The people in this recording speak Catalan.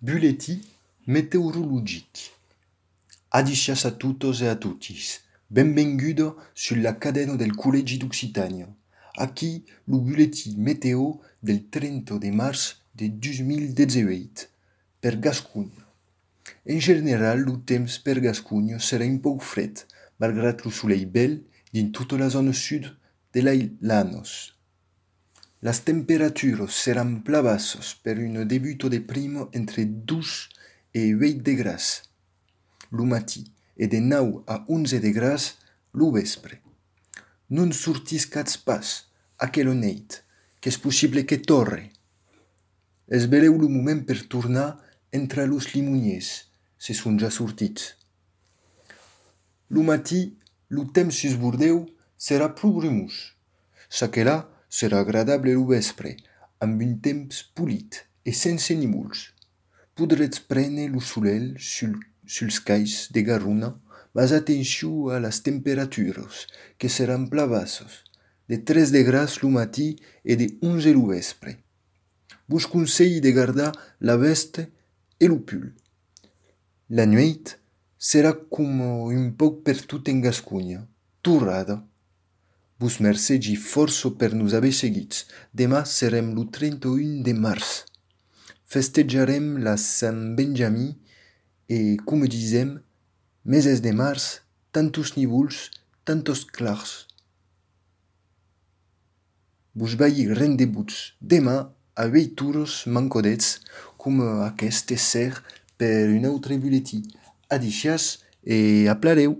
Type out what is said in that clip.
Bulleti meteorologici. Adicias a tutos e a tutis. Benvengudo sulla cadena del Collegi d'Occitania. Aquí lo bulleti meteo del 30 de març de 2018 per Gascugna. En general, lo temps per Gascugna serà un poc fred, malgrat lo soleil bel din tota la zona sud de l'Anos. Las temperaturas seran plavassos per un debuto de primo entre 2 e 8 de gras lo matí e de 9 a 11 de gras lo vespre. Non sortiscatz pas aquela neit, qu'és possible que torre. Esbereu lo moment per tornar entre los limoniers, se son ja sortits. Lo matí, lo temps sus Bordeu serà pro brumós. S'aquelà serà agradable lo vespre, amb un temps polit e sense núvols. Podretz prendre lo solel suls cais de Garrona, mas atenció a las temperaturas, que seran plavassos, de 3 de gras lo matí e de 11 lo vespre. Vos conselli de gardar la veste e lo pull. La nuit serà com un poc per tot en Gascugna, torrada. Vos mercegi força per nos haver seguits. Demà serem lo 31 de març. Festejarem la Sant Benjamí e, com dizem, meses de març, tantos núvols, tantos clars. Vos vaig rendebuts demà a 8 hores mancodets, com aquest ser per un altre butlletí. Adicias e aplareu!